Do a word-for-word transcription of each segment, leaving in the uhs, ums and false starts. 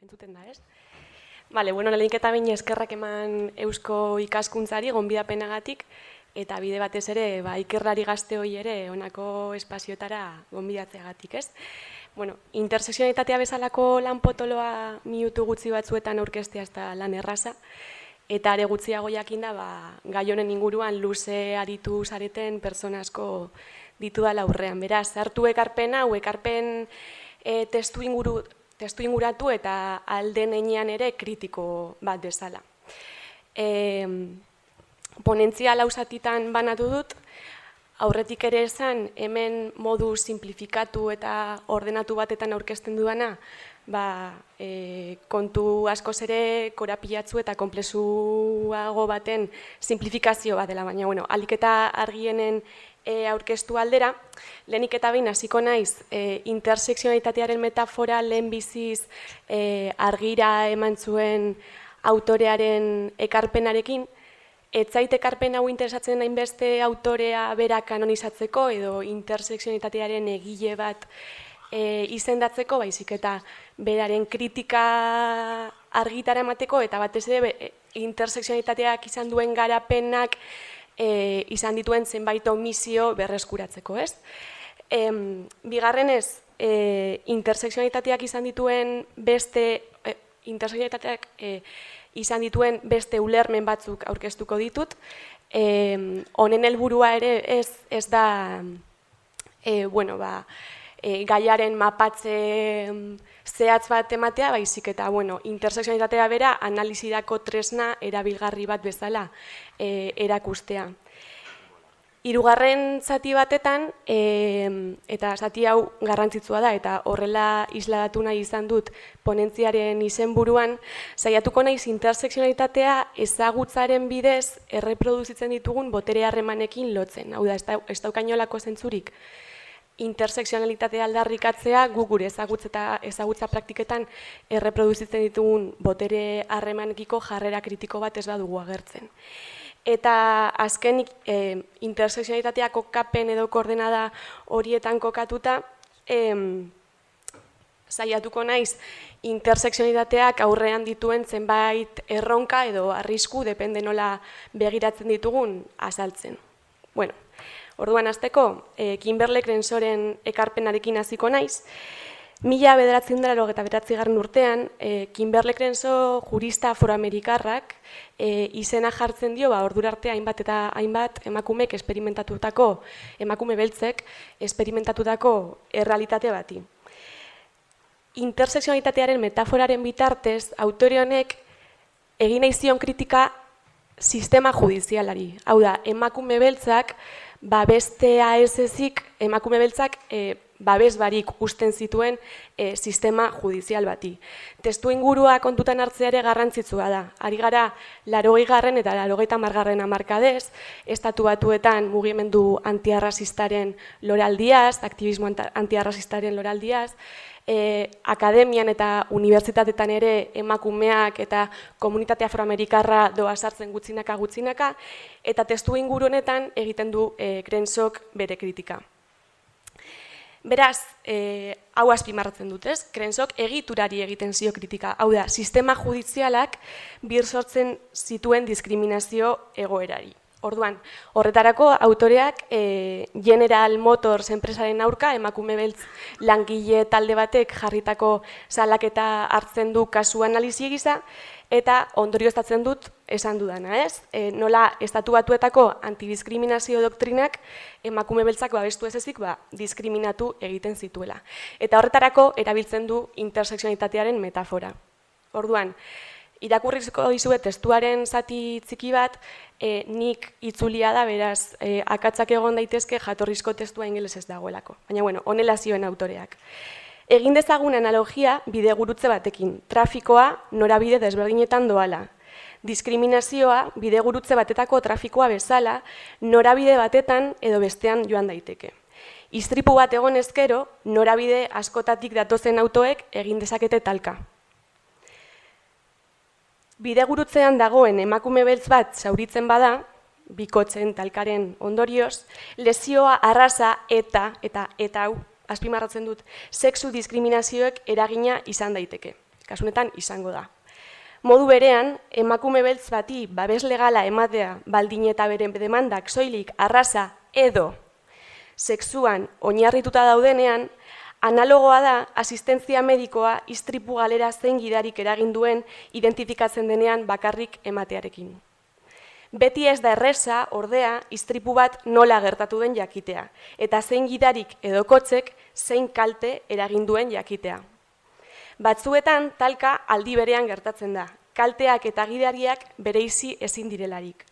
Entzuten da, ez? Bale, bueno, lehenik eta bain eskerrak eman eusko ikaskuntzari gonbidapenagatik, eta bide batez ere, ba, ikerlari gazte hori ere honako espazioetara gonbidatzeagatik, ez? Bueno, interseksionalitatea bezalako lan potoloa minutu gutxi batzuetan aurkeztea ez da lan erraza, eta are gutxiago jakinda, ba, gai honen inguruan luze aritu zareten pertsona asko ditudala aurrean. Beraz, hartu ekarpena, hau ekarpen e, testu inguru testu inguratu eta alden heinean ere kritiko bat bezala. E, ponentzia lausatitan banatu dut, aurretik ere esan hemen modu simplifikatu eta ordenatu batetan aurkezten dudana, ba, e, kontu askoz ere korapilatzu eta konplexuago baten simplifikazio bat dela, baina bueno, ahalik eta argienen E, aurkeztu aldera, lehenik eta behin hasiko naiz e, interseksionalitatearen metafora lehen biziz e, argira eman zuen autorearen ekarpenarekin. Ez zait ekarpen hau interesatzen hainbeste autorea bera kanonizatzeko edo interseksionalitatearen egile bat e, izendatzeko, baizik eta beraren kritika argitara emateko eta batez ere interseksionalitateak izan duen garapenak E, izan dituen zenbait omisio berreskuratzeko, ez? E, bigarrenez, e, interseksionalitateak izan dituen beste e, interseksionalitateak e, izan dituen beste ulermen batzuk aurkeztuko ditut. E, honen helburua ere ez, ez da e, bueno, ba, e, gaiaren mapatze zehatz bat ematea, baizik eta bueno, interseksionalitatea bera analizirako tresna erabilgarri bat bezala e, erakustea. Hirugarren zati batetan, e, eta zati hau garrantzitsua da, eta horrela isladatu nahi izan dut ponentziaren izenburuan, saiatuko naiz interseksionalitatea ezagutzaren bidez erreproduzitzen ditugun botere harremanekin lotzen. Hau da, ez daukainolako zentzurik. Interseksionalitatea aldarrikatzea gu gure ezagutza, ezagutza praktiketan erreproduzitzen ditugun botere harremanekiko jarrera kritiko bat ez badugu agertzen. Eta azken e, interseksionalitatea kokapen edo koordenada horietan kokatuta, e, saiatuko naiz interseksionalitateak aurrean dituen zenbait erronka edo arrisku, depende nola begiratzen ditugun, azaltzen. Bueno, orduan hasteko, e, Kimberle Crensoren ekarpenarekin hasiko naiz. Mila bederatziehun eta laurogeita bederatzigarren urtean, e, Kimberle Crenso jurista afroamerikarrak e, izena jartzen dio, ba, ordura arte hainbat eta hainbat emakumek esperimentatutako, emakume beltzek esperimentatutako errealitate bati. Interseksionalitatearen metaforaren bitartez, autore honek egin nahi zion kritika sistema judizialari. Hau da, emakume beltzak ba bestea ez ezik emakume beltzak e, babes barik usten zituen e, sistema judizial bati. Testu ingurua kontutan hartzea ere garrantzitsua da. Ari gara laurogeigarren eta laurogeita hamargarren hamarkadez, estatu batuetan mugimendu antiarrazistaren loraldiaz, aktivismo antiarrazistaren loraldiaz, E, akademian eta unibertsitatetan ere emakumeak eta komunitate afroamerikarra doa sartzen gutxinaka gutxinaka, eta testu inguru honetan egiten du e, Crensok bere kritika. Beraz, e, hau azpimarratzen dut, ez? Crensok egiturari egiten zio kritika, hau da, sistema judizialak bir sortzen zituen diskriminazio egoerari. Orduan, horretarako autoreak e, General Motors enpresaren aurka emakume beltz langile talde batek jarritako salaketa hartzen du kasu analizi gisa, eta ondorioztatzen dut esan dudana, ez? E, nola estatu batuetako antidiskriminazio doktrinak emakume beltzak babestu ez ezik ba, diskriminatu egiten zituela. Eta horretarako erabiltzen du interseksionalitatearen metafora. Orduan, irakurriko dizuet testuaren zati txiki bat, e, nik itzulia da, beraz, e, akatsak egon daitezke jatorrizko testua ingelesez dagoelako. Baina, bueno, honela zioen autoreak. Egin dezagun analogia bidegurutze batekin, trafikoa norabide desberdinetan doala. Diskriminazioa bidegurutze batetako trafikoa bezala, norabide batetan edo bestean joan daiteke. Istripu bat egon ezkero, norabide askotatik datozen autoek egin dezakete talka. Bidegurutzean dagoen emakume beltz bat zauritzen bada, bikotzen talkaren ondorioz, lesioa arraza eta, eta, eta hau, azpimarratzen dut, sexu diskriminazioek eragina izan daiteke. kasunetan izango da. Modu berean, emakume beltz bati babes legala ematea baldin eta beren demandak soilik arraza edo sexuan oinarrituta daudenean, analogoa da asistentzia medikoa istripu galera zein gidarik eragin duen identifikatzen denean bakarrik ematearekin. Beti ez da erreza, ordea, istripu bat nola gertatu den jakitea, eta zein gidarik edo kotzek zein kalte eragin duen jakitea. Batzuetan talka aldi berean gertatzen da, kalteak eta gidariak bereizi ezin direlarik.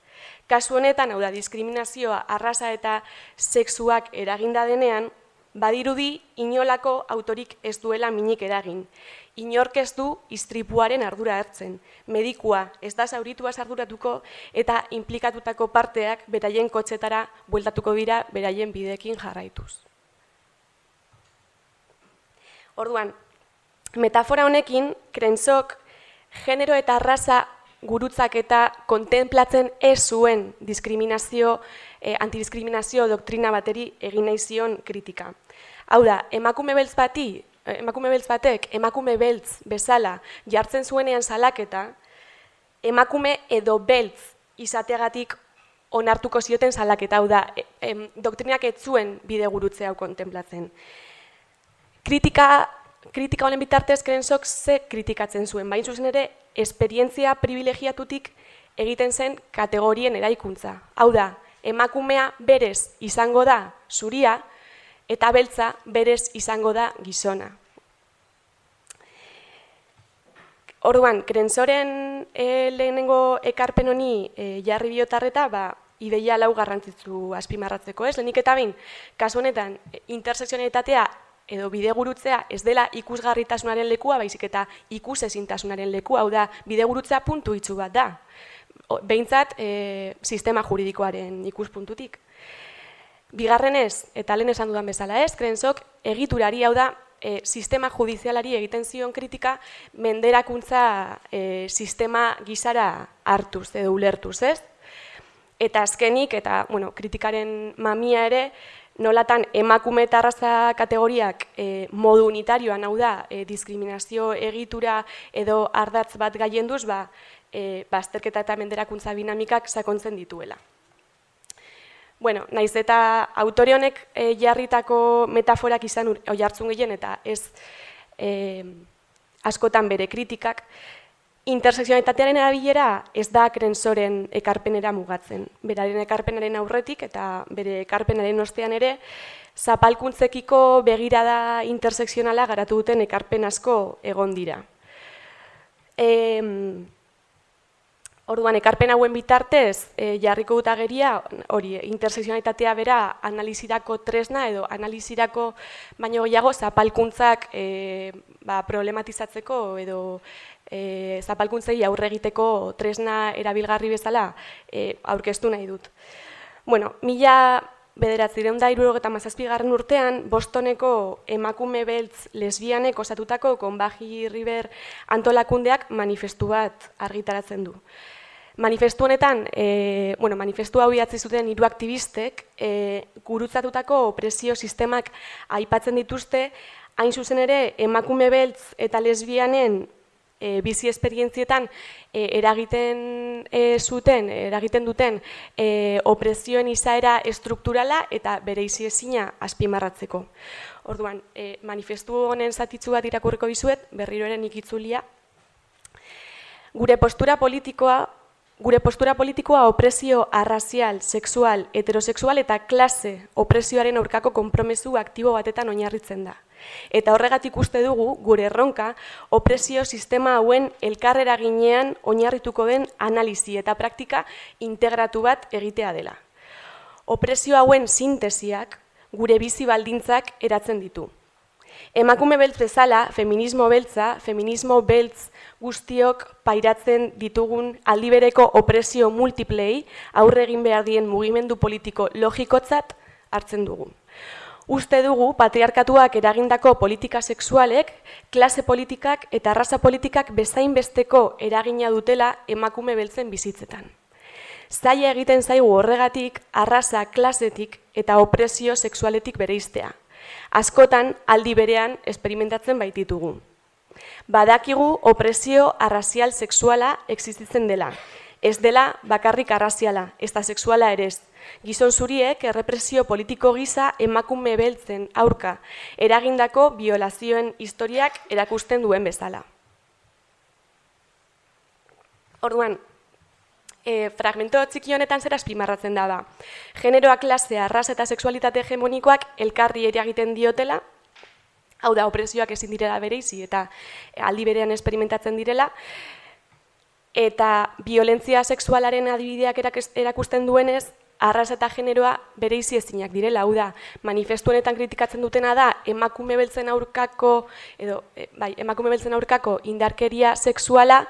Kasu honetan, hau da, diskriminazioa arraza eta sexuak eraginda denean, badirudi inolako autorik ez duela minik eragin. Inork ez du istripuaren ardura hartzen. Medikua ez da zaurituaz arduratuko eta inplikatutako parteak beraien kotxetara bueltatuko dira beraien bideekin jarraituz. Orduan, metafora honekin, Crensok genero eta arraza gurutzak eta kontemplatzen ez zuen diskriminazio, eh, antidiskriminazio doktrina bateri egin nahi zion kritika. Hau da, emakume beltz bati, emakume beltz batek, emakume beltz bezala jartzen zuenean salaketa, emakume edo beltz izateagatik onartuko zioten salaketa, hau da, em, doktrinak ez zuen bide gurutze hau kontemplatzen. Kritika, kritika honen bitartez, Crensok ze kritikatzen zuen, bain zuzen ere, esperientzia privilegiatutik egiten zen kategorien eraikuntza. Hau da, emakumea berez izango da zuria, eta beltza berez izango da gizona. Orduan, Crensoren e, lehenengo ekarpen honi e, jarri biotarreta, ba, ideia lau garrantzitsu azpimarratzeko, ez? Lehenik eta bain, kasu honetan, interseksionalitatea edo bidegurutzea ez dela ikusgarritasunaren lekua, baizik eta ikusezintasunaren lekua, hau da, bidegurutzea puntu itxu bat da. Behintzat, e, sistema juridikoaren ikuspuntutik. Bigarrenez, eta lehen esan dudan bezala ez, Crensok egiturari, hau da, e, sistema judizialari egiten zion kritika menderakuntza e, sistema gizara hartuz edo ulertuz, ez? Eta azkenik, eta bueno, kritikaren mamia ere, nolatan emakume eta arraza kategoriak e, modu unitarioan, hau da, e, diskriminazio egitura edo ardatz bat gaienduz, ba, e, bazterketa eta menderakuntza dinamikak sakontzen dituela. Bueno, naiz eta autore honek e, jarritako metaforak izan oihartzun gehien eta ez e, askotan bere kritikak, interseksionalitatearen erabilera ez da Crensoren ekarpenera mugatzen. Beraren ekarpenaren aurretik eta bere ekarpenaren ostean ere, zapalkuntzekiko begirada interseksionala garatu duten ekarpen asko egon dira. E, Orduan, ekarpen hauen bitartez, e, jarriko dut ageria, hori, interseksionalitatea bera analizirako tresna edo analizirako baino gehiago zapalkuntzak e, ba, problematizatzeko edo e, zapalkuntzei aurre egiteko tresna erabilgarri bezala e, aurkeztu nahi dut. Bueno, mila bederatziehun eta hirurogeita hamazazpigarren urtean, Bostoneko emakume beltz lesbianek osatutako Conbaji River antolakundeak manifestu bat argitaratzen du. Manifestu honetan, e, bueno, manifestu hau idatzi zuten hiru aktivistek, e, gurutzatutako opresio sistemak aipatzen dituzte, hain zuzen ere emakume beltz eta lesbianen e, bizi esperientzietan e, eragiten e, zuten, eragiten duten e, opresioen izaera estrukturala eta bereiziezina azpimarratzeko. Orduan, e, manifestu honen zatitzu bat irakurriko dizuet, berriro ere nik itzulia. Gure postura politikoa Gure postura politikoa opresio arrazial, sexual, heterosexual eta klase opresioaren aurkako konpromesu aktibo batetan oinarritzen da. Eta horregatik uste dugu, gure erronka, opresio sistema hauen elkarreraginean oinarrituko den analizi eta praktika integratu bat egitea dela. Opresio hauen sintesiak gure bizi baldintzak eratzen ditu. Emakume beltz bezala, feminismo beltza, feminismo beltz guztiok pairatzen ditugun aldibereko opresio multiplei aurre egin behar dien mugimendu politiko logikotzat hartzen dugu. Uste dugu patriarkatuak eragindako politika sexualek, klase politikak eta arraza politikak bezain besteko eragina dutela emakume beltzen bizitzetan. Zaila egiten zaigu horregatik arraza klasetik eta opresio sexualetik bereiztea. Askotan aldi berean esperimentatzen baititugu. Badakigu opresio arrazial sexuala existitzen dela. Ez dela bakarrik arraziala, ez da sexuala ere ez. Gizon zuriek errepresio politiko gisa emakume beltzen aurka eragindako biolazioen historiak erakusten duen bezala. Orduan, e, fragmento txiki honetan zer azpimarratzen da da. Generoa, klasea, arraza eta sexualitate hegemonikoak elkarri eragiten diotela, hau da, opresioak ezin direla bereizi eta aldi berean esperimentatzen direla, eta violentzia sexualaren adibideak erakusten duenez, arraza eta generoa bereizi ezinak direla, hau da, manifestu honetan kritikatzen dutena da, emakume beltzen aurkako, edo, bai, emakume beltzen aurkako indarkeria sexuala,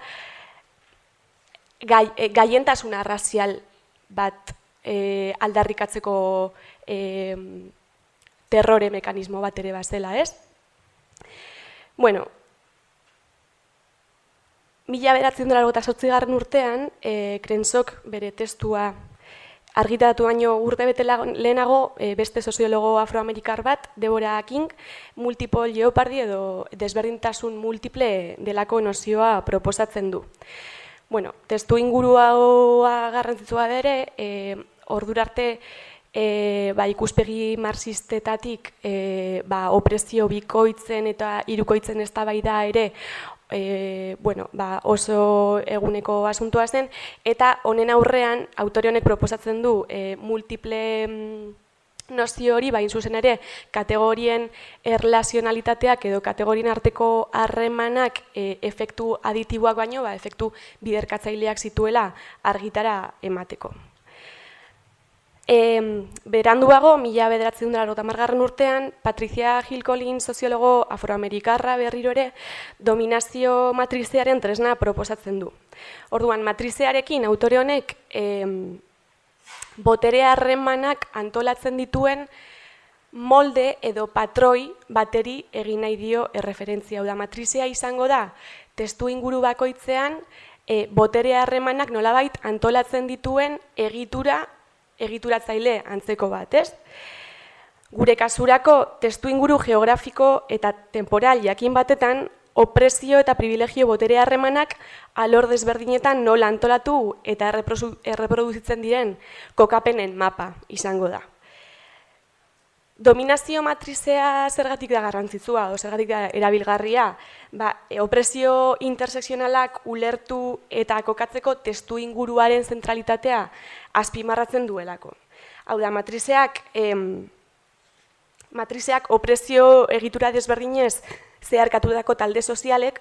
gai, e, gaientasuna arrazial bat e, aldarrikatzeko e, terrore mekanismo bat ere bazela, ez? Bueno, mila bederatziehun eta laurogeita zortzigarren urtean, e, Crensok bere testua argitaratu baino urte bete lehenago e, beste soziologo afroamerikar bat, Deborah King, multiple jeopardy edo desberdintasun multiple delako nozioa proposatzen du. Bueno, testu ingurua garrantzitsua ere, e, ordura arte e, ba, ikuspegi marxistetatik e, ba, opresio bikoitzen eta hirukoitzen eztabaida ere E, bueno, ba, oso eguneko asuntua zen, eta honen aurrean autore honek proposatzen du e, multiple mm, nozio hori, bain zuzen ere, kategorien erlazionalitateak edo kategorien arteko harremanak e, efektu aditiboak baino, ba, efektu biderkatzaileak zituela argitara emateko. E, beranduago, mila bederatziehun eta laurogeita hamargarren urtean, Patricia Hill Collins, soziologo afroamerikarra berriro ere, dominazio matrizearen tresna proposatzen du. Orduan, matrizearekin autore honek e, botere harremanak antolatzen dituen molde edo patroi bateri egin nahi dio erreferentzia. Hau da, matrizea izango da, testu inguru bakoitzean, e, botere harremanak nolabait antolatzen dituen egitura egituratzaile antzeko bat, ez? Gure kasurako testu inguru geografiko eta temporal jakin batetan, opresio eta privilegio botere harremanak alor desberdinetan nola antolatu eta erreproduzitzen diren kokapenen mapa izango da. Dominazio matrizea zergatik da garrantzitsua, o zergatik da erabilgarria, ba, opresio intersekzionalak ulertu eta kokatzeko testu inguruaren zentralitatea azpimarratzen duelako. Hau da, matrizeak, em, matrizeak opresio egitura desberdinez zeharkatutako talde sozialek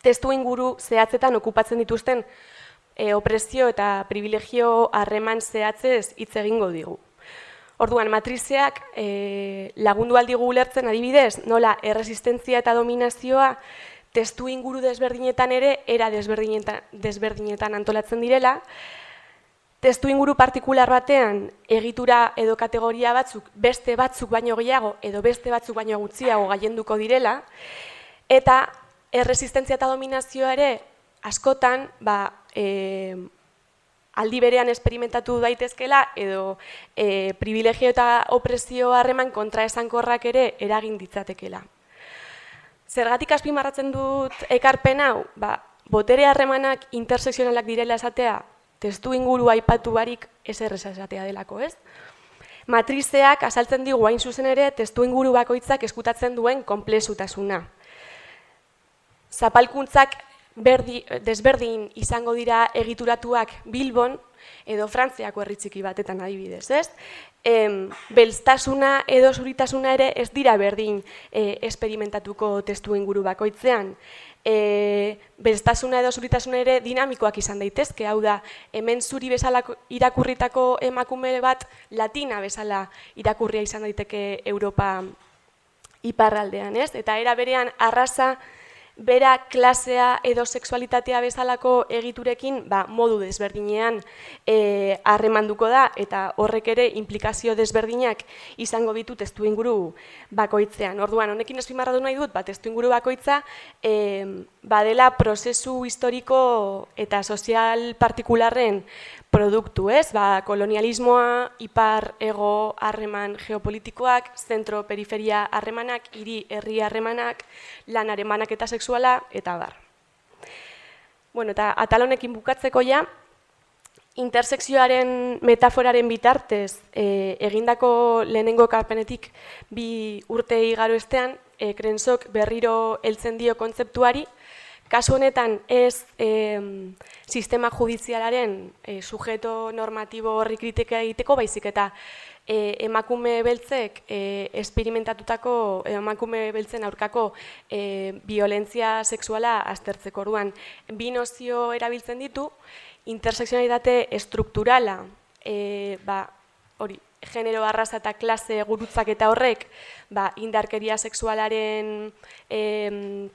testu inguru zehatzetan okupatzen dituzten e, opresio eta privilegio harreman zehatzez hitz egingo digu. Orduan, matrizeak e, lagundu aldigu ulertzen adibidez, nola erresistentzia eta dominazioa testu inguru desberdinetan ere, era desberdinetan, desberdinetan antolatzen direla, testu inguru partikular batean egitura edo kategoria batzuk beste batzuk baino gehiago edo beste batzuk baino gutxiago gailenduko direla, eta erresistentzia eta dominazioa ere askotan ba, e, aldi berean esperimentatu daitezkela edo e, privilegio eta opresio harreman kontraesankorrak ere eragin ditzatekela. Zergatik azpimarratzen dut ekarpen hau? Ba, botere harremanak intersekzionalak direla esatea, testu inguru aipatu barik ezer esatea delako, ez? Matrizeak azaltzen digu hain zuzen ere testu inguru bakoitzak eskutatzen duen konplexutasuna. Zapalkuntzak berdi, desberdin izango dira egituratuak Bilbon edo Frantziako herri txiki batetan adibidez, ez? Em, belztasuna edo zuritasuna ere ez dira berdin e, esperimentatuko testu inguru bakoitzean. E, belztasuna edo zuritasuna ere dinamikoak izan daitezke, hau da, hemen zuri bezala irakurritako emakume bat latina bezala irakurria izan daiteke Europa iparraldean, ez? Eta era berean arraza bera klasea edo sexualitatea bezalako egiturekin ba, modu desberdinean e, harremanduko da eta horrek ere implikazio desberdinak izango ditu testu inguru bakoitzean. Orduan, honekin azpimarratu nahi dut, ba, testu inguru bakoitza e, badela prozesu historiko eta sozial partikularren produktu, ez? Ba, kolonialismoa, ipar ego harreman geopolitikoak, zentro-periferia harremanak, hiri-herri harremanak, lan harremanak eta sexuala, eta bar. Bueno, eta atal honekin bukatzeko ja, intersekzioaren metaforaren bitartez e, egindako lehenengo ekarpenetik bi urte igaro estean, e, Krensok berriro heltzen dio kontzeptuari, kasu honetan ez e, sistema judizialaren e, sujeto normatibo horri kritika egiteko, baizik eta e, emakume beltzek e, esperimentatutako, e, emakume beltzen aurkako e, violentzia sexuala aztertzeko orduan. Bi nozio erabiltzen ditu, intersekzionalitate estrukturala, e, ba, hori, genero, arraza eta klase gurutzak eta horrek, ba, indarkeria sexualaren e,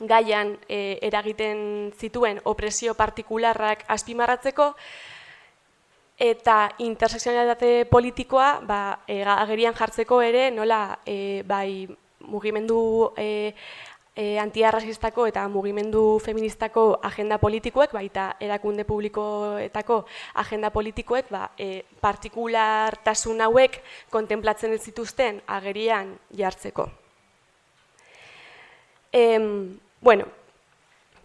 gaian e, eragiten zituen opresio partikularrak azpimarratzeko, eta intersekzionalitate politikoa ba, e, agerian jartzeko ere nola e, bai mugimendu e, E, antiarrazistako eta mugimendu feministako agenda politikoek, baita erakunde publikoetako agenda politikoek, ba, e, partikulartasun hauek kontemplatzen ez zituzten agerian jartzeko. E, bueno,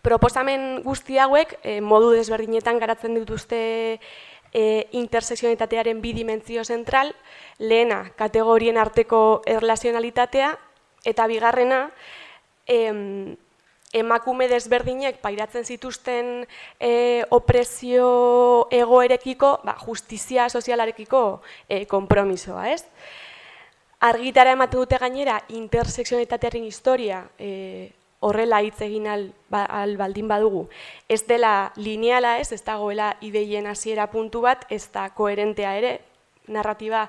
proposamen guzti hauek e, modu desberdinetan garatzen dituzte e, intersekzionalitatearen bi dimentsio zentral, lehena kategorien arteko erlazionalitatea, eta bigarrena, Em, emakume desberdinek pairatzen zituzten e, opresio egoerekiko, ba, justizia sozialarekiko e, konpromisoa, ez? Argitara ematen dute gainera intersekzionalitatearen historia e, horrela hitz egin al, ba, al baldin badugu. Ez dela lineala, ez, ez dagoela ideien hasiera puntu bat, ez da koherentea ere, narratiba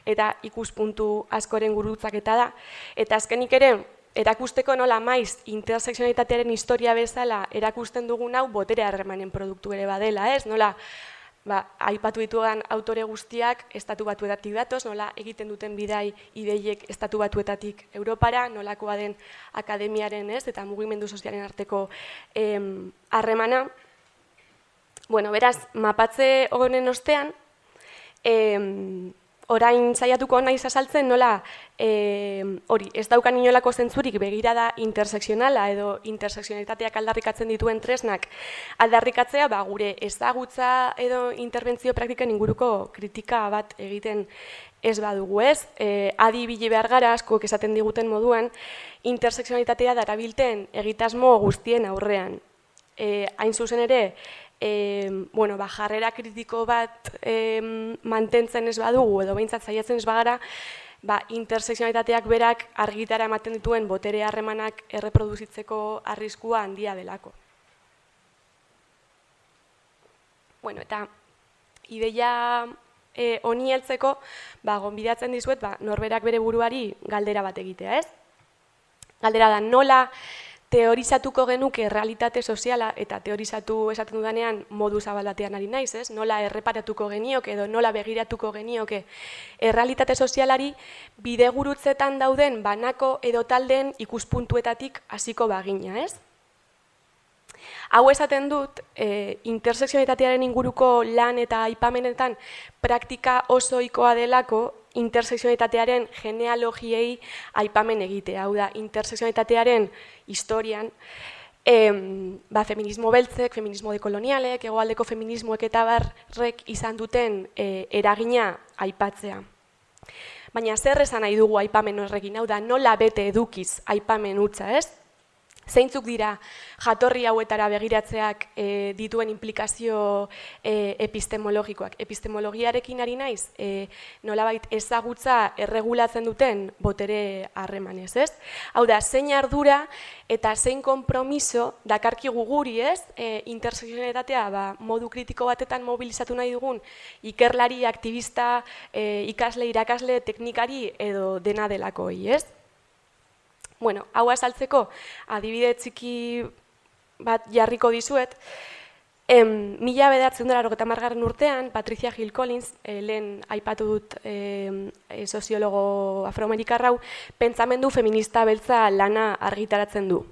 eta ikuspuntu askoren gurutzaketa da. Eta azkenik ere, erakusteko nola maiz intersekzionalitatearen historia bezala erakusten dugun hau botere harremanen produktu ere badela, ez? Nola, ba, aipatu dituan autore guztiak estatu batuetatik datoz, nola egiten duten bidai ideiek estatu batuetatik Europara, nolakoa den akademiaren, ez? Eta mugimendu sozialen arteko harremana. Bueno, beraz, mapatze honen ostean, em, orain saiatuko naiz azaltzen nola hori ez daukan inolako zentzurik begirada intersekzionala edo intersekzionalitateak aldarrikatzen dituen tresnak aldarrikatzea, ba, gure ezagutza edo interbentzio praktikan inguruko kritika bat egiten ez badugu, ez? E, adi ibili behar gara askok esaten diguten moduan intersekzionalitatea darabilten egitasmo guztien aurrean. E, hain zuzen ere, E, bueno, ba, jarrera kritiko bat e, mantentzen ez badugu edo behintzat saiatzen ez bagara, ba, intersekzionalitateak berak argitara ematen dituen botere harremanak erreproduzitzeko arriskua handia delako. Bueno, eta ideia e, honi heltzeko, ba, gonbidatzen dizuet, ba, norberak bere buruari galdera bat egitea, ez? Galdera da, nola teorizatuko genuke realitate soziala, eta teorizatu esaten dudanean modu zabal batean ari naiz, ez? Nola erreparatuko genioke edo nola begiratuko genioke errealitate sozialari bidegurutzetan dauden banako edo taldeen ikuspuntuetatik hasiko bagina, ez? Hau esaten dut, e, intersekzionalitatearen inguruko lan eta aipamenetan praktika oso ohikoa delako intersekzionalitatearen genealogiei aipamen egitea. Hau da, intersekzionalitatearen historian, em, ba, feminismo beltzek, feminismo dekolonialek, hegoaldeko feminismoek eta barrek izan duten e, eragina aipatzea. Baina zer esan nahi dugu aipamen horrekin, hau da, nola bete edukiz aipamen hutsa, ez? Zeintzuk dira jatorri hauetara begiratzeak e, dituen implikazio e, epistemologikoak. Epistemologiarekin ari naiz, e, nolabait ezagutza erregulatzen duten botere harremanez, ez? Hau da, zein ardura eta zein konpromiso dakarkigu guri, ez? E, intersekzionalitatea ba, modu kritiko batetan mobilizatu nahi dugun ikerlari, aktivista, e, ikasle, irakasle, teknikari edo dena delakoi, ez? Bueno, hau azaltzeko adibide txiki bat jarriko dizuet. Em, mila bederatziehun eta laurogeita hamargarren urtean, Patricia Hill Collins, eh, lehen aipatu dut eh, soziologo afroamerikarrau, pentsamendu feminista beltza lana argitaratzen du.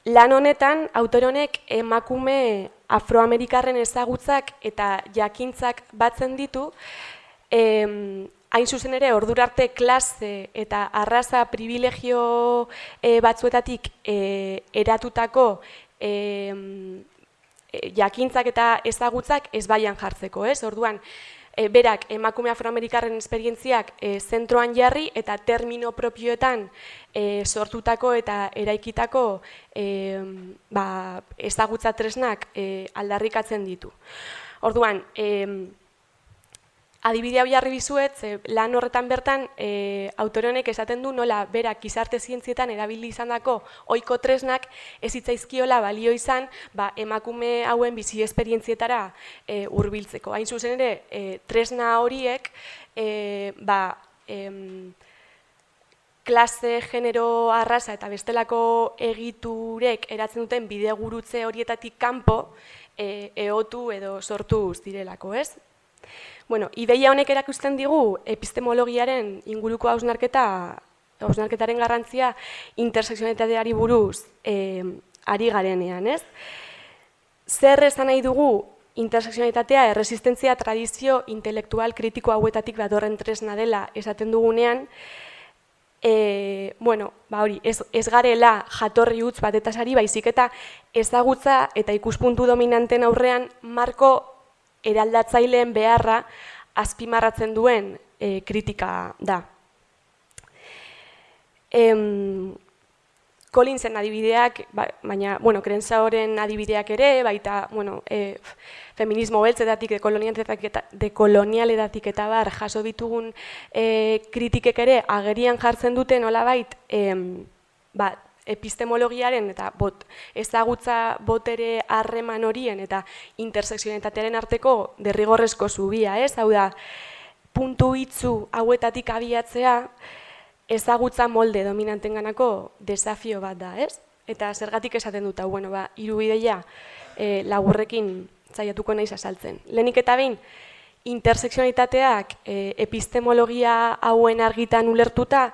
lan honetan, autore honek emakume afroamerikarren ezagutzak eta jakintzak batzen ditu, em, hain zuzen ere, ordurarte klase eta arraza privilegio e, batzuetatik e, eratutako e, jakintzak eta ezagutzak ez baian jartzeko, ez? Orduan, e, berak emakume afroamerikarren esperientziak e, zentroan jarri eta termino propioetan e, sortutako eta eraikitako e, ba, ezagutza tresnak e, aldarrikatzen ditu. Orduan, e, adibide hau jarri bizuet, lan horretan bertan e, autore honek esaten du nola berak gizarte zientzietan erabili izandako ohiko tresnak ez hitzaizkiola balio izan ba, emakume hauen bizi esperientzietara e, hurbiltzeko. Hain zuzen ere, e, tresna horiek e, ba, em, klase, genero, arraza eta bestelako egiturek eratzen duten bidegurutze horietatik kanpo e, eotu edo sortu direlako, ez? Bueno, ideia honek erakusten digu epistemologiaren inguruko hausnarketa, hausnarketaren garrantzia intersekzionalitateari buruz e, ari garenean, ez? Zer esan nahi dugu intersekzionalitatea erresistentzia tradizio intelektual kritiko hauetatik datorren tresna dela esaten dugunean, e, bueno, ba hori, ez, ez garela jatorri utz batetaz ari, baizik eta ezagutza eta ikuspuntu dominanten aurrean marko eraldatzaileen beharra azpimarratzen duen e, kritika da. Em, Collinsen adibideak, ba, baina, bueno, Crenshawren adibideak ere, baita, bueno, e, feminismo beltzetatik, dekolonialetatik eta bar, jaso ditugun e, kritikek ere agerian jartzen duten nolabait, em, ba, epistemologiaren eta bot, ezagutza botere harreman horien eta intersekzionalitatearen arteko derrigorrezko zubia, ez? Hau da, puntu hitzu hauetatik abiatzea ezagutza molde dominantenganako desafio bat da, ez? Eta zergatik esaten dut, hau, bueno, ba, hiru ideia e, laburrekin saiatuko naiz azaltzen. Lehenik eta behin, intersekzionalitateak e, epistemologia hauen argitan ulertuta,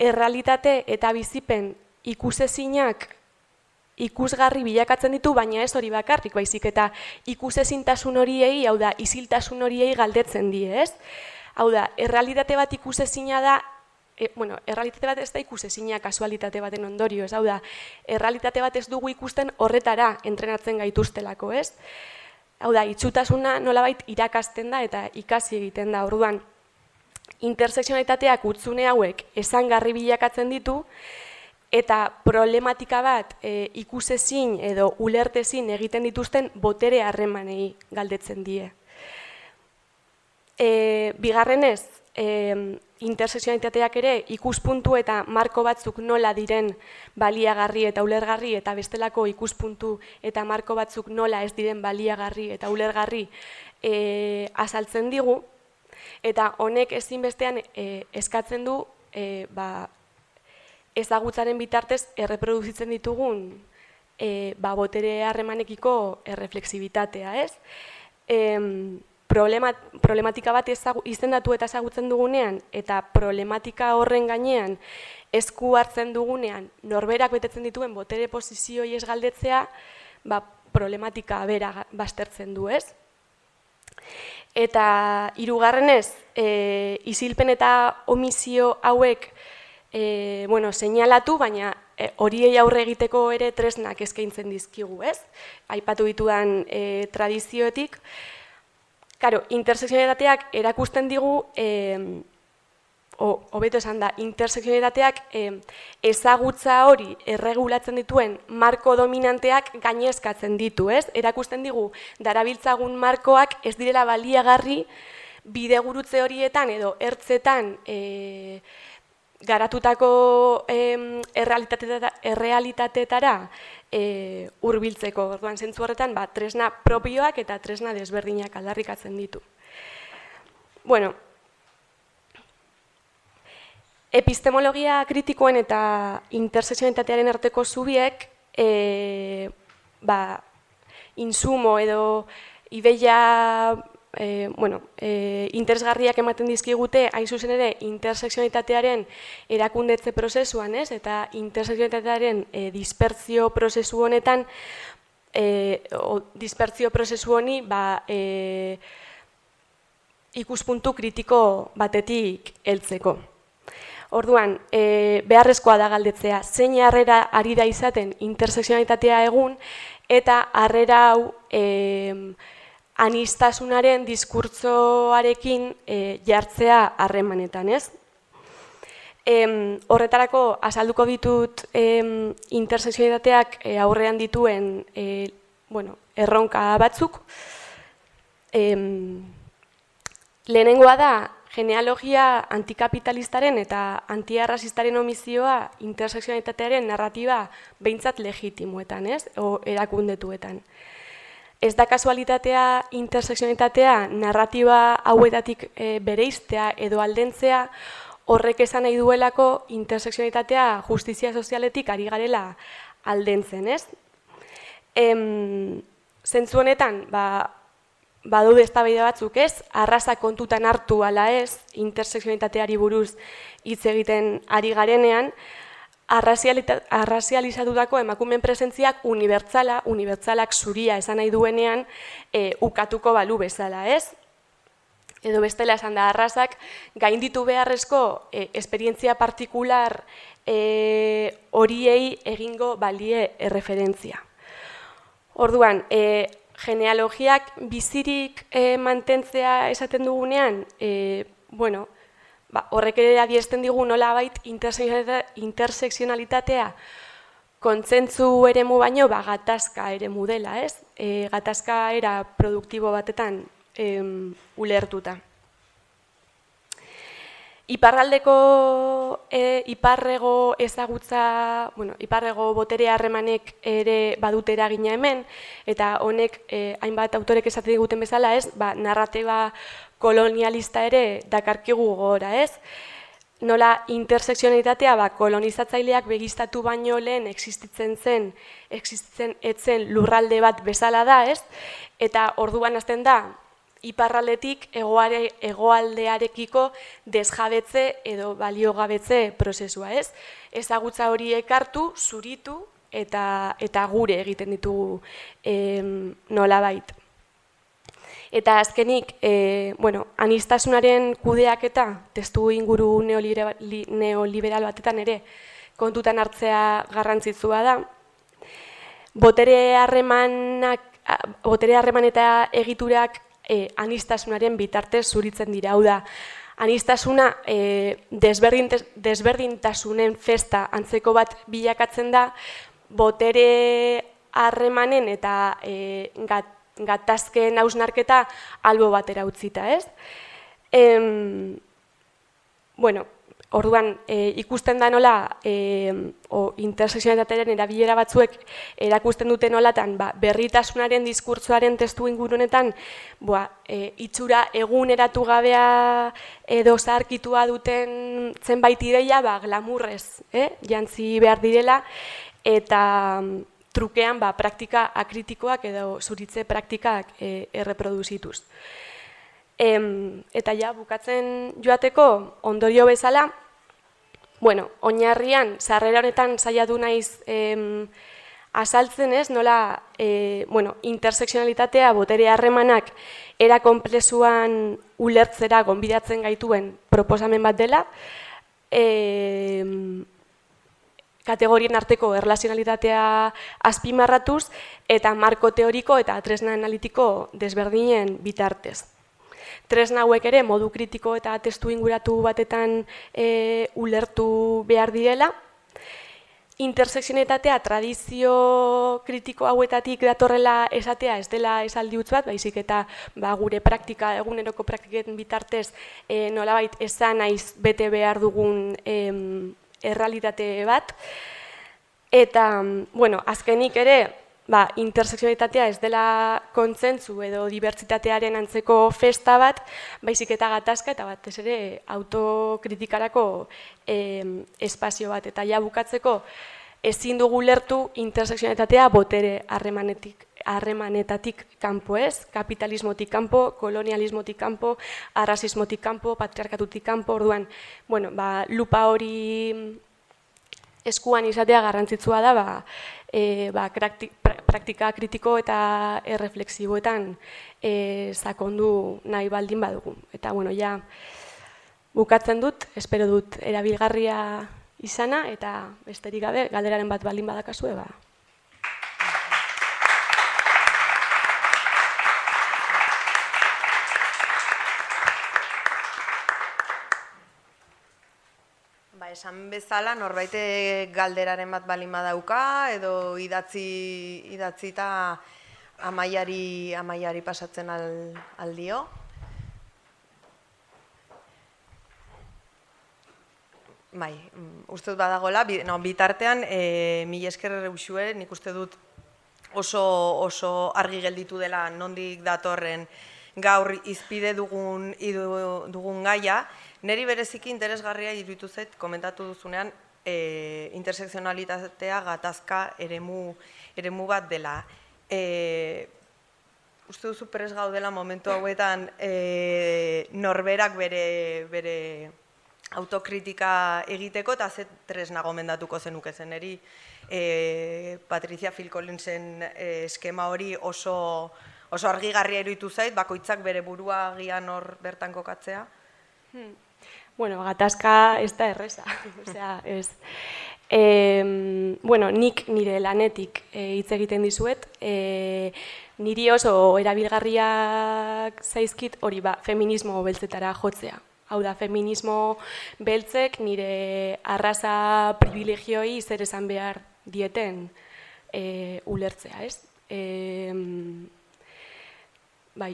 errealitate eta bizipen ikusezinak ikusgarri bilakatzen ditu, baina ez hori bakarrik, baizik eta ikusezintasun horiei, hau da, isiltasun horiei galdetzen die, ez? Hau da, errealitate bat ikusezina da, e, bueno, errealitate bat ez da ikusezina kasualitate baten ondorio, ez? Hau da, errealitate bat ez dugu ikusten horretara entrenatzen gaituztelako, ez? Hau da, itxutasuna nolabait irakasten da eta ikasi egiten da, orduan, intersekzionalitateak utzune hauek esangarri bilakatzen ditu, eta problematika bat e, ikusezin edo ulertezin egiten dituzten botere harremanei galdetzen die. E, bigarrenez, e, intersekzionalitateak ere ikuspuntu eta marko batzuk nola diren baliagarri eta ulergarri eta bestelako ikuspuntu eta marko batzuk nola ez diren baliagarri eta ulergarri e, azaltzen digu, eta honek ezinbestean e, eskatzen du e, ba, ezagutzaren bitartez erreproduzitzen ditugun e, ba, botere harremanekiko erreflexibitatea, ez? E, problema, problematika bat ezagu, izendatu eta ezagutzen dugunean, eta problematika horren gainean esku hartzen dugunean, norberak betetzen dituen botere posizioi ez galdetzea, ba, problematika bera baztertzen du, ez? Eta hirugarrenez, e, isilpen eta omisio hauek E, bueno, seinalatu, baina e, horiei aurre egiteko ere tresnak eskaintzen dizkigu, ez? Aipatu ditudan e, tradizioetik. Karo, intersekzionalitateak erakusten digu, e, hobeto esan da, intersekzionalitateak e, ezagutza hori erregulatzen dituen marko dominanteak gainezkatzen ditu, ez? Erakusten digu, darabiltzagun markoak ez direla baliagarri bidegurutze horietan edo ertzetan e, garatutako eh, errealitateetara eh, hurbiltzeko. Orduan, zentzu horretan, ba, tresna propioak eta tresna desberdinak aldarrikatzen ditu. Bueno, epistemologia kritikoen eta intersekzionalitatearen arteko zubiek eh, ba, insumo edo ideia e, bueno, e, interesgarriak ematen dizkigute, hain zuzen ere, interseksionalitatearen erakundetze prozesuan, ez? Eta interseksionalitatearen e, dispertzio prozesu honetan, e, o, dispertzio prozesu honi, ba, e, ikuspuntu kritiko batetik heltzeko. Orduan, e, beharrezkoa da galdetzea, zein harrera ari da izaten interseksionalitatea egun, eta harrera hau e, anistasunaren diskurtsoarekin e, jartzea harremanetan, ez? E, horretarako, azalduko ditut e, interseksionalitateak e, aurrean dituen e, bueno, erronka batzuk. E, lehenengoa da, genealogia antikapitalistaren eta antiarrazistaren omizioa interseksionalitatearen narratiba behintzat legitimoetan, ez? O erakundetuetan. Ez da kasualitatea interseksionalitatea narratiba hauetatik e, bereiztea edo aldentzea, horrek esan nahi duelako interseksionalitatea justizia sozialetik ari garela aldentzen, ez? Em, zentzu honetan, ba, badaude eztabaida batzuk, ez? Arraza kontutan hartu ala ez, interseksionalitateari buruz hitz egiten ari garenean, arrazializatutako emakumeen presentziak unibertsala, unibertsalak zuria esan nahi duenean, e, ukatuko balu bezala, ez? Edo bestela esan da, arrazak gainditu beharrezko e, esperientzia partikular e, horiei egingo balie erreferentzia. Orduan, e, genealogiak bizirik e, mantentzea esaten dugunean, e, bueno, ba, horrek ere adiesten digu nolabait interseksionalitatea kontzentzu eremu baino ba, gatazka eremu dela, ez? E, gatazka era produktibo batetan e, ulertuta. Iparraldeko, e, iparrego ezagutza, bueno, iparrego botere harremanek ere badute eragina hemen, eta honek e, hainbat autorek esate diguten bezala, ez, ba, narratiba kolonialista ere dakarkigu gora, ez? Nola interseksionalitatea ba, kolonizatzaileak begiztatu baino lehen existitzen zen, existitzen etzen lurralde bat bezala da, ez? Eta orduan hasten da, iparraldetik egoare, egoaldearekiko desjabetze edo baliogabetze prozesua, ez? Ezagutza hori ekartu, zuritu eta, eta gure egiten ditugu em, nolabait. Eta azkenik, e, bueno, anistasunaren kudeaketa testu inguru neoliberal, neoliberal batetan ere kontutan hartzea garrantzitsua da. Botere harremanak, botere harreman eta egiturak E, anistasunaren bitartez zuritzen dira, hau da, anistasuna e, desberdintasunen festa antzeko bat bilakatzen da, botere harremanen eta e, gat, gatazken hausnarketa albo batera utzita, ez? Em, bueno, orduan, e, ikusten da nola, e, o interseksionalitatearen erabilera batzuek erakusten dute nolatan, ba, berritasunaren diskurtsoaren testu ingurunetan, ba, e, itxura eguneratu gabea edo zaharkitua duten zenbait ideia, ba, glamurrez, eh? jantzi behar direla, eta trukean ba, praktika akritikoak edo zuritze praktikak e, erreproduzituz. Em, eta ja, bukatzen joateko, ondorio bezala, bueno, oinarrian, sarrera honetan saiatu naiz em, azaltzen ez, nola e, bueno, interseksionalitatea, botere harremanak, era konplexuan ulertzera gonbidatzen gaituen proposamen bat dela, e, kategorien arteko erlazionalitatea azpimarratuz, eta marko teoriko eta tresna analitiko desberdinen bitartez. Tresna hauek ere modu kritiko eta testu inguratu batetan e, ulertu behar direla. Interseksionalitatea tradizio kritiko hauetatik datorrela esatea ez dela esaldi huts bat, baizik eta ba, gure praktika, eguneroko praktiken bitartez e, nolabait esan naiz bete behar dugun e, errealitate bat. Eta, bueno, azkenik ere, ba, interseksionalitatea ez dela kontzentzu edo dibertsitatearen antzeko festa bat, baizik eta gatazka eta batez ere autokritikarako eh, espazio bat. Eta ja bukatzeko ezin dugu lertu interseksionalitatea botere harremanetik, harremanetatik kanpo ez, kapitalismotik kanpo, kolonialismotik kanpo, arrazismotik kanpo, patriarkatutik kanpo, orduan, bueno, ba, lupa hori eskuan izatea garrantzitsua da, ba, e, ba, praktika kritiko eta erreflexiboetan e, sakondu nahi baldin badugu. Eta, bueno, ja, bukatzen dut, espero dut erabilgarria izana, eta besterik gabe, galderaren bat baldin badakazue, ba. Esan bezala, norbaite galderaren bat balin badauka, edo idatzi eta amaiari, amaiari pasatzen al, aldio. Bai, uste dut badagoela, no, bitartean, e, mila esker usue, nik uste dut oso, oso argi gelditu dela nondik datorren gaur izpide dugun, dugun gaia. Neri bereziki interesgarria iruditu zait, komentatu duzunean, e, intersekzionalitatea gatazka eremu, eremu bat dela. E, uste duzu prest gaudela momentu hauetan e, norberak bere, bere autokritika egiteko, eta ze tresna gomendatuko zenuke zen eri. E, Patricia Phil Collinsen e, eskema hori oso, oso argigarria iruditu zait, bakoitzak bere burua agian hor bertan kokatzea. Hmm. Bueno, gatazka ez da erreza, osea, ez. E, bueno, nik nire lanetik hitz e, egiten dizuet, e, niri oso erabilgarriak zaizkit hori ba, feminismo beltzetara jotzea. Hau da, feminismo beltzek nire arraza privilegioi zer esan behar dieten e, ulertzea, ez? E, bai,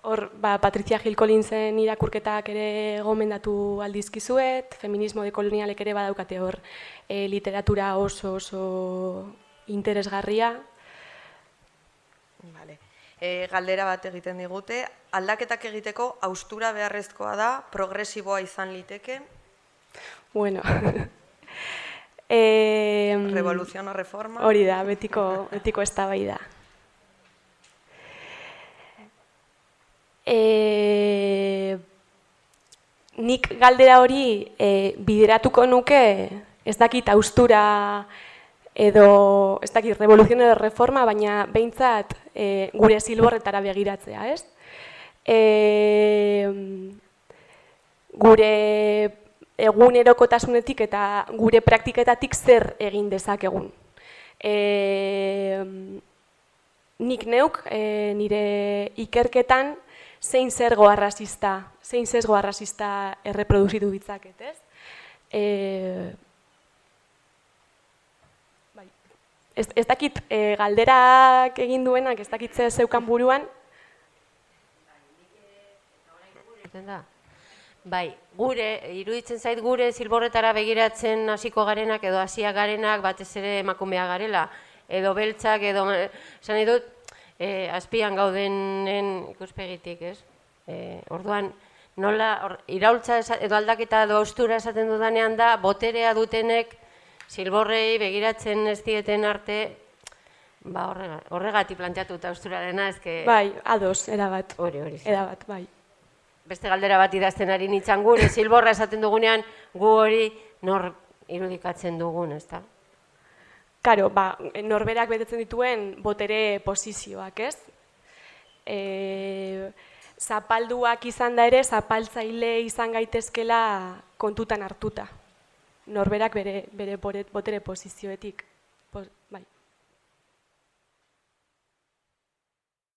hor, ba, Patricia Hill Collinsen irakurketak ere gomendatu aldizkizuet, feminismo dekolonialek ere badaukate hor e, literatura oso oso interesgarria. Vale. E, galdera bat egiten digute, aldaketak egiteko haustura beharrezkoa da, progresiboa izan liteke? Bueno, e, revolución o reforma? Hori da, betiko, betiko eztabaida. E, nik galdera hori e, bideratuko nuke, ez dakit haustura edo, ez dakit revoluzion edo reforma, baina behintzat e, gure zilborretara begiratzea, ez? E, gure egunerokotasunetik eta gure praktiketatik zer egin dezakegun. E, nik neuk e, nire ikerketan zein zergo arrazista, zein zesgo arrazista erreproduzitu ditzaket, ez? E, bai. ez, ez dakit e, galderak egin duenak, ez dakit ze zeukan buruan. Bai, gure, iruditzen zait gure zilborretara begiratzen hasiko garenak edo hasiak garenak batez ere emakumea garela, edo beltzak, edo, esan nahi dut, E, azpian gaudenen ikuspegitik, ez? E, orduan, nola, or, iraultza edo aldaketa edo haustura esaten dudanean da, boterea dutenek zilborrei begiratzen ez dieten arte, ba, horregatik planteatuta hausturarena, ezke... Bai, ados, erabat. Hori, hori. Erabat, bai. Beste galdera bat idazten ari nintzen gure, zilborra esaten dugunean, gu hori nor irudikatzen dugun, ez da? Karo, ba, norberak betetzen dituen botere posizioak, ez? E, zapalduak izan da ere, zapaltzaile izan gaitezkela kontutan hartuta. Norberak bere, bere botere posizioetik. Pos, bai.